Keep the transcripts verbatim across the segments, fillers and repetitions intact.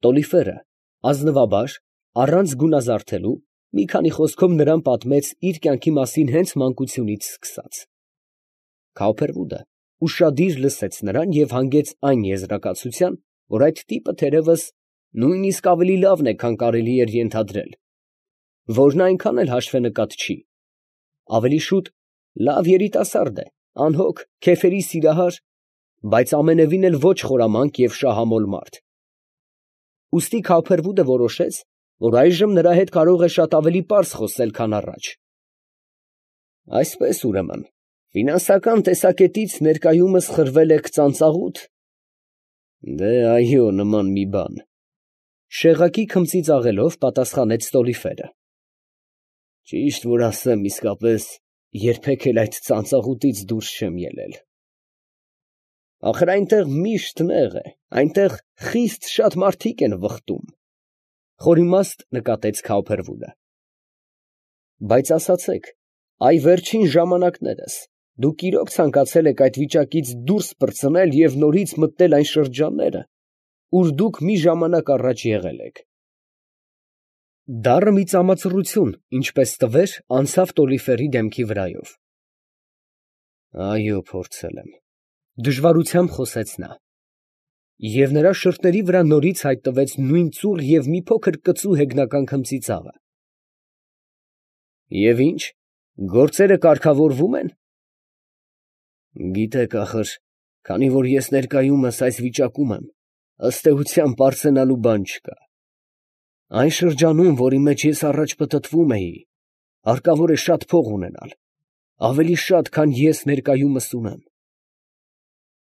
Տոլիֆերը ազնվաբար, առանց գունազարդելու, մի քանի խոսքով նրան պատմեց իր կյանքի մասին հենց մանկությունից սկսած։ Քավոփերուդը ուշադիր լսեց նրան և հանգեց այն եզրակացության, որ այդ տիպը թերևս նույնիսկ ավելի լավն է, քան կարելի էր ենթադրել, որ նա այնքան էլ հաշվենկատ չի, ավելի շուտ լավ երիտասարդ է, անհոգ, քեֆերի սիրահար, բայց ամենևին էլ ոչ խորամանկ և շահամոլ մարդ։ Ուստի Քավոփերուդը որոշեց, որ այժմ նրա հետ կարող է շատ ավելի պարզ խոսել, քան առաջ։ Այսպես, ուրեմն, ֆինանսական տեսակետից ներկայումս խրվել եք ծանծաղուտ։ Դե այո, նման մի բան, շեղակի քմծի ծաղելով պատասխանեց Տոլիֆերը։ Ճիշտ որ ասեմ, իսկապես երբեք էլ այդ ծանծաղուտից դուրս չեմ ելել։ Ախր այնտեղ միշտ նեղ է, այնտեղ խիստ շատ մարդիկ են վխտում, խորիմաստ նկատեց Քավոփերուդը։ Բայց ասացեք, այ վերջին ժամանակներս դուք իրոք ցանկացել եք այդ վիճակից դուրս պրծնել և նորից մտնել այն շրջանները, ուր դուք մի ժամանակ առաջ եղել եք։ Դառը մի ծամացռություն, ինչպես տվեր, անցավ Տոլիֆերի դեմքի վրայով։ Այո, փորձել եմ, դժվարությամբ խոսեց նա, և նրա շրթերի վրա նորից հայտնվեց նույն ծուռ և մի փոքր կծու հեգնական քմծի ծաղը։ Եվ ի՞նչ, գործերը կարգավորվո՞ւմ են։ Գիտեք, ախր, քանի որ ես ներկայումս այս վիճակում եմ, ըստ էության պարծենալու բան չկա։ Այն շրջանում, որի մեջ ես առաջ պտտվում էի, հարկավոր է շատ փող ունենալ, ավելի շատ, քան ես ներկայումս ունեմ։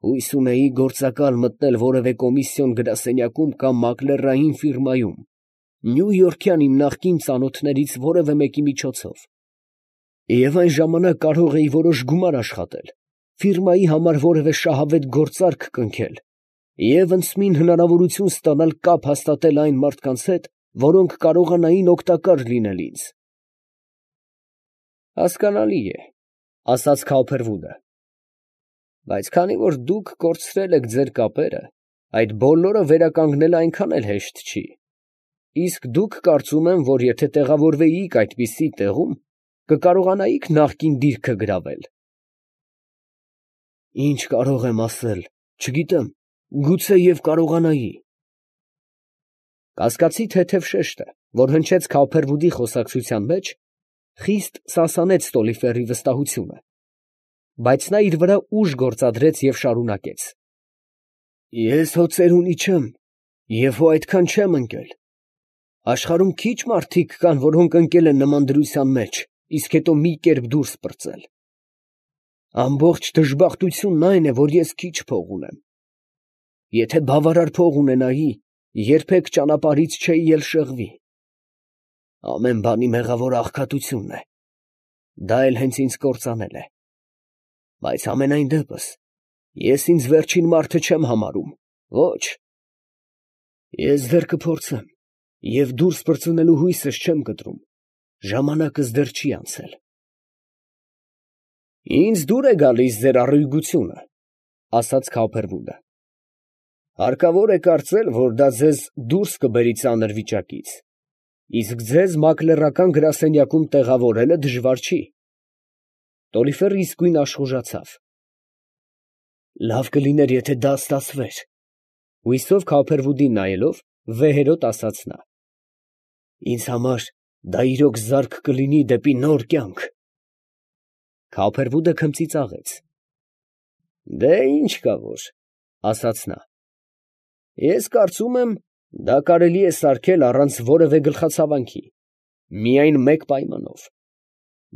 Հույս ունեի գործակալ մտնել որևէ կոմիսիոն գրասենյակում կամ մակլերային ֆիրմայում, նյույորքյան իմ նախկին ծանոթներից որևէ մեկի միջոցով, և այն ժամանակ կարող էի որոշ գումար աշխատել, ֆիրմայի համար որևէ շահավետ գործարք կնքել և ընդսմին հնարավորություն ստանալ կապ հաստատել այն մարդկանց հետ, որոնք կարողանային օգտակար լինել ինձ։ Հասկանալի է, ասաց Քավոփերուդը, բայց քանի որ դուք կորցրել եք ձեր կապերը, այդ բոլորը վերականգնելը այնքան էլ հեշտ չի, իսկ դուք կարծում եմ, որ եթե տեղավորվեիք այդպիսի տեղում, կկարողանայիք նախկին դիրքը գրավել։ Ինչ կարող եմ ասել, չգիտեմ, գուցե և կարողանայի։ Կասկածի թեթև շեշտը, որ հնչեց Քավոփերուդի խոսակցության մեջ, խիստ սասանեց Տոլիֆերի վստահությունը, բայց նա իր վրա ուժ գործադրեց և շարունակեց. Ես հո ծերունի չեմ և հո այդքան չեմ ընկել։ Աշխարհում քիչ մարդիկ կան, որոնք ընկել են նման դրության մեջ, իսկ հետո մի կերպ դուրս պրծել։ Ամբողջ դժբախտությունն այն է, որ ես քիչ փող ունեմ։ Եթե բավարար փող ունենայի, երբեք ճանապարհից չէի էլ շեղվի։ Ամեն բանի մեղավոր աղքատությունն է, դա էլ հենց ինձ կործանել է։ Բայց համենայն դեպս, ես ինձ վերջին մարդը չեմ համարում, ոչ։ Ես դեռ կփորձեմ և դուրս պրծնելու հույսս չեմ կտրում, ժամանակս դեռ չի անցել։ Ինձ դուր է գալիս ձեր առույգությունը, ասաց Քավոփերուդը։ Հարկավոր է կարծել, որ դա ձեզ դուրս կբերի ծանր վիճակից, իսկ ձեզ մակլերական գրասենյակում տեղավորելը դժվար չի։ Տոլիֆերը իսկույն աշխուժացավ։ Լավ կլիներ, եթե դա ստացվեր, հույսով Քավոփերուդին նայելով, վեհերոտ ասաց նա։ Ինձ համար դա իրոք զարկ կլինի դեպի նոր կյանք։ Քավոփերուդը քմծի ծաղեց։ Դե ինչ կա որ, ասաց նա, ես կարծում եմ, դա կարելի է սարքել առանց որևէ գլխացավանքի, միայն մեկ պայմանով,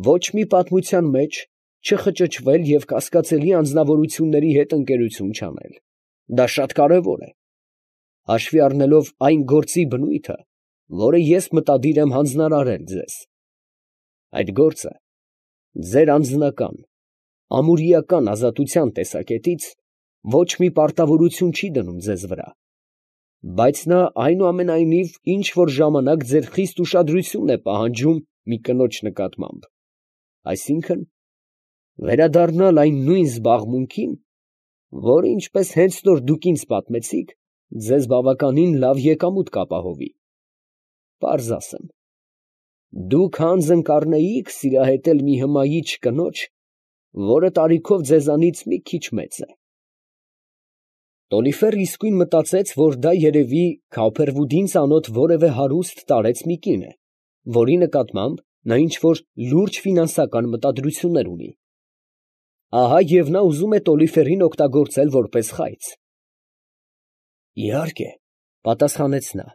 ոչ մի պատմության մեջ չխճճվել և կասկածելի անձնավորությունների հետ ընկերություն չանել, դա շատ կարևոր է, հաշվի առնելով այն գործի բնույթը, որը ես մտադիր եմ հանձնարարել ձեզ։ Այդ գործը ձեր անձնական, ամուրիական ազատության տեսակետից ոչ մի պարտավորություն չի դնում ձեզ վրա, բայց նա այնուամենայնիվ ինչ֊որ ժամանակ ձեր խիստ ուշադրությունն է պահանջում մի կնոջ նկատմամբ, այսինքն, վերադառնալ այն նույն զբաղմունքին, որը, ինչպես հենց նոր դուք ինձ պատմեցիք, ձեզ բավականին լավ եկամուտ կապահովի։ Պարզ ասեմ, դուք հանձն կառնեիք սիրահետել մի հմայիչ կնոջ, որը տարիքով ձեզանից մի քիչ մեծ է։ Տոլիֆերը իսկույն մտածեց, որ դա երևի Քաուփերվուդին ծանոթ որևէ հարուստ տարեց մի կին է, որի նկատմամբ նա ինչ֊որ լուրջ ֆինանսական մտադրություններ ունի։ Ահա և նա ուզում է Տոլիֆերին օգտագործել որպես խայծ։ Իհարկե, պատասխանեց նա,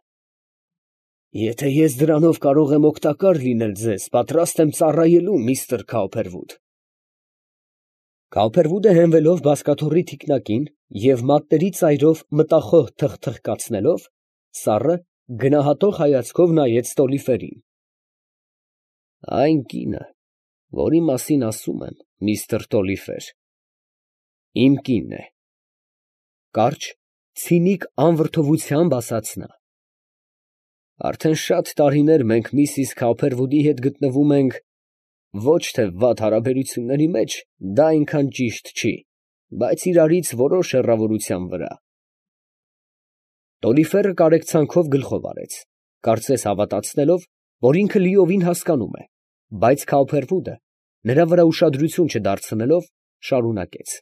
եթե ես դրանով կարող եմ օգտակար լինել ձեզ, պատրաստ եմ ծառայելու միստր Քաուփերվուդ։ Քաուփերվուդը հենվելով բազկաթոռի թիկնակին և մատների ծայրով մտախոհ թխթխկացնելով, սառը գնահատող հայացքով նայեց Տոլիֆերին։ Այն կինը, որի մասին ասում եմ, միստր Տոլիֆեր, իմ կինն է, կարճ, ցինիկ անվրդովությամբ ասաց նա։ Արդեն շատ տարիներ մենք միսիս Քաուփերվուդի հետ գտնվում ենք ոչ թե վատ հարաբերությունների մեջ, դա այնքան ճիշտ չի, բայց իրարից որոշ հեռավորության վրա։ Տոլիֆերը կարեկցանքով գլխով արեց, կարծես հավատացնելով, որ ինքը լիովին հասկանում է, բայց Քաուփերվուդը, նրա վրա ուշադրություն չդարձնելով, շարունակեց.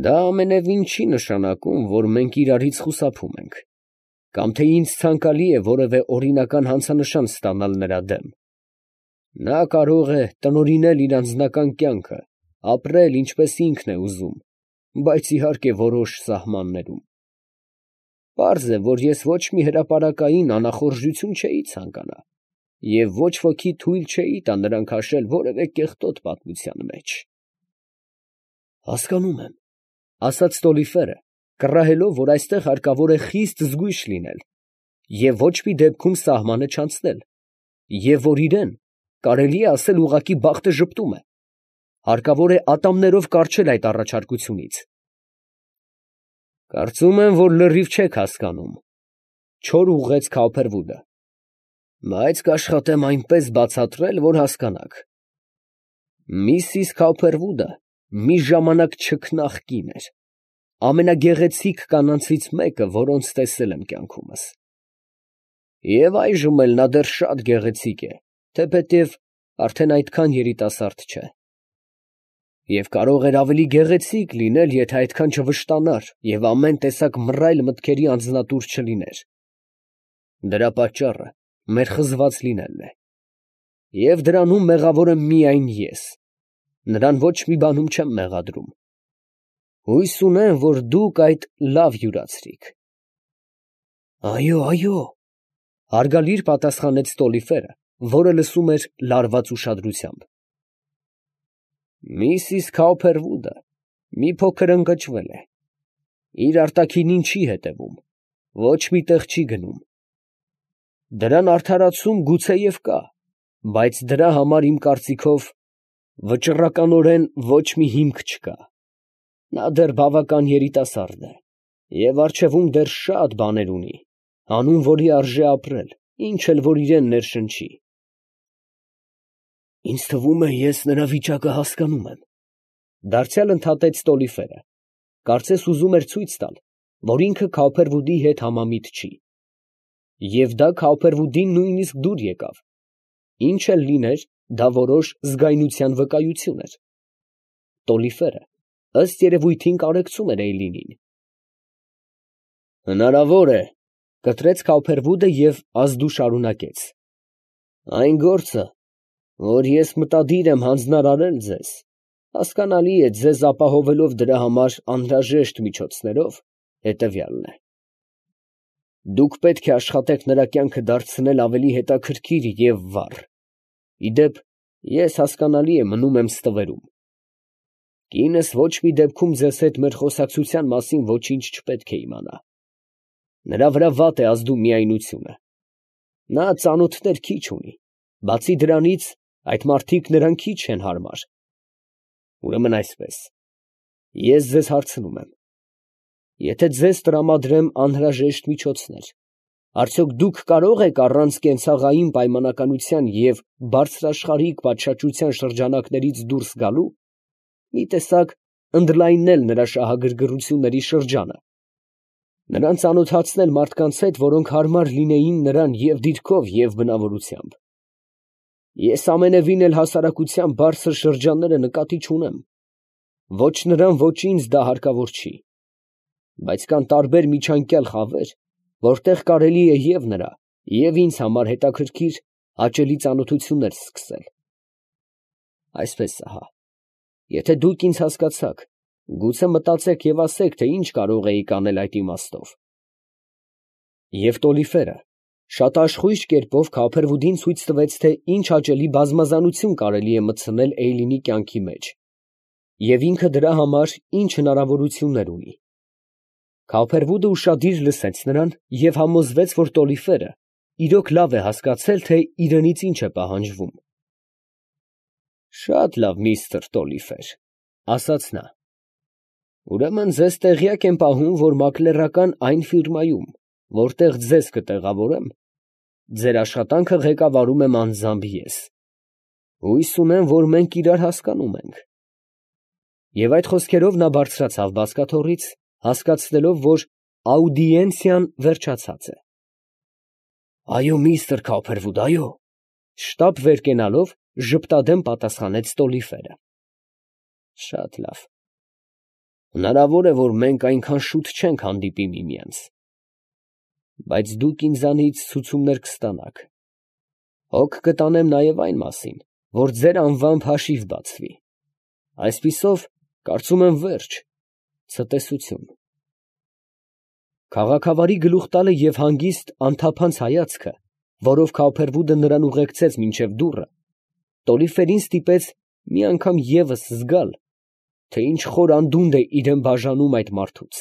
Դա ամենևին չի նշանակում, որ մենք իրարից խուսափում ենք, կամ թե ինձ ցանկալի է որևէ օրինական հանցանշան ստանալ նրա դեմ։ Նա կարող է տնօրինել իր անձնական կյանքը, ապրել ինչպես ինքն է ուզում, բայց իհարկե որոշ սահմաններում։ Պարզ է, որ ես ոչ մի հրապարակային անախորժություն չէի ցանկանա, և ոչ ոքի թույլ չէի տա նրան քաշել որևէ կեղտոտ պատմության մեջ։ Հասկանում եմ, ասաց Տոլիֆերը, կռահելով, որ այստեղ հարկավոր է խիստ զգույշ լինել և ոչ մի դեպքում սահմանը չանցնել, և որ իրան, կարելի է ասել, ուղղակի բախտը ժպտում է, հարկավոր է ատամներով կառչել այդ առաջարկությունից։ Կարծում եմ, որ լրիվ չեք հասկանում, չոր ուղղեց Քաուփերվուդը, բայց կաշխատեմ այնպես բացատրել, որ հասկանաք։ Միսիս Քաուփերվուդը մի ժամանակ չքնաղ կին էր, ամենագեղեցիկ կանանցից մեկը, որոնց տեսել եմ կյանքումս։ Եվ այժմ էլ նա դեռ շատ գեղեցիկ է, թեպետև արդեն այդքան երիտասարդ չէ։ Եվ կարող էր ավելի գեղեցիկ լինել, եթե այդքան չվշտանար և ամեն տեսակ մռայլ մտքերի անձնատուր չլիներ։ Դրա պատճառը մեր խզված լինելն է։ Եվ դրանում մեղավոր եմ միայն ես, նրան ոչ մի բանում չեմ մեղադրում։ Հույս ունեմ, որ դուք այդ լավ յուրացրիք։ Այո, այո, հարգալից պատասխանեց Տոլիֆերը, որը լսում էր լարված ուշադրությամբ։ Միսիս Քաուփերվուդը մի փոքր ընկճվել է, իր արտաքինին չի հետևում, ոչ մի տեղ չի գնում։ Դրան արդարացում գուցեև կա, բայց դրա համար իմ կարծիքով վճռականորեն ոչ մի հիմք չկա։ Նա դեռ բավական երիտասարդ է և առջևում դեռ շատ բաներ ունի, հանուն որի արժե ապրել, ինչ էլ որ իրան ներշնչի։ Ինձ թվում է, ես նրա վիճակը հասկանում եմ, դարձյալ ընդհատեց Տոլիֆերը, կարծես ուզում էր ցույց տալ, որ ինքը Քաուփերվուդի հետ համամիտ չի։ Եվ դա Քաուփերվուդին նույնիսկ դուր եկավ, ինչ էլ լիներ, դա որոշ զգայնության վկայություն էր։ Տոլիֆերը, ըստ երևույթին, կարեկցում էր Էյլինին։ Հնարավոր է, կտրեց Քաուփերվուդը և ազդու շարունակեց. այն գործը, որ ես մտադիր եմ հանձնարարել ձեզ, հասկանալի է, ձեզ ապահովելով դրա համար անհրաժեշտ միջոցներով, հետևյալն է. դուք պետք է աշխատեք նրա կյանքը դարձնել ավելի հետաքրքիր և վառ։ Ի դեպ, ես հասկանալի է մնում եմ ստվերում։ Կինս ոչ մի դեպքում ձեզ հետ մեր խոսակցության մասին ոչինչ չպետք է իմանա։ Նրա վրա վատ է ազդու միայնությունը։ Նա ծանոթներ քիչ ունի, բացի դրանից, այդ մարդիկ նրան քիչ են հարմար։ Ուրեմն այսպես, ես ձեզ հարցնում եմ. եթե ձեզ տրամադրեմ անհրաժեշտ միջոցներ, արդյոք դուք կարող եք առանց կենցաղային պայմանականության և բարձրաշխարհիկ պատշաճության շրջանակներից դուրս գալու, մի տեսակ ընդլայնել նրա շահագրգռությունների շրջանը։ նրան ծանոթացնել մարդկանց հետ, որոնք հարմար լինեին նրան և դիրքով, և բնավորությամբ։ Ես ամենևին էլ հասարակության բարձր շրջանները նկատի չունեմ. ոչ նրան, ոչ ինձ դա հարկավոր չի, բայց կան տարբեր միջանկյալ խավեր, որտեղ կարելի է և նրա, և ինձ համար հետաքրքիր, հաճելի ծանոթություններ սկսել։ Այսպես ահա, եթե դուք ինձ հասկացաք, գուցե մտածեք և ասեք, թե ինչ կարող էիք անել այդ իմաստով։ Եվ Տոլիֆերը շատ աշխույժ կերպով Քափերվուդին ցույց տվեց, թե ինչ հաճելի բազմազանություն կարելի է մտցնել Էյլինի կյանքի մեջ, և ինքը դրա համար ինչ հնարավորություններ ունի։ Քափերվուդը ուշադիր լսեց նրան և համոզվեց, որ Տոլիֆերը իրոք լավ է հասկացել, թե իրենից ինչ է պահանջվում։ «Շատ լավ, միստր Տոլիֆեր, ֊ ասաց նա, ֊ ուրեմն ձեզ տեղյակ եմ պահում, որ մակլերական այն ֆիրմայում, որտեղ ձեզ կտեղավորեմ, ձեր աշխատանքը ղեկավարում եմ անձամբ ես։ Հույս ունեմ, որ մենք իրար հասկանում ենք»։ Եվ այդ խոսքերով նա բարձրացավ բազկաթոռից, հասկացնելով, որ աուդիենցիան վերջացած է։ «Այո, միստր Քափերվուդ, այո, ֊ շտապ վեր կենալով, ժպտադեմ պատասխանեց Տոլիֆերը։ ֊ Շատ լավ. հնարավոր է, որ մենք այնքան շուտ չենք հանդիպի միմյանց, բայց դուք ինձանից ցուցումներ կստանաք։ Հոգ կտանեմ նաև այն մասին, որ ձեր անվամբ հաշիվ բացվի։ Այսպիսով, կարծում եմ, վերջ, ցտեսություն։ Քաղաքավարի գլուխ տալը և հանգիստ անթափանց հայացքը, որով Քափերվուդը նրան ուղեկցեց մինչև դուռը, Տոլիֆերին ստիպեց մի անգամ ևս զգալ, թե ինչ խոր անդունդ է իրան բաժանում այդ մարդուց։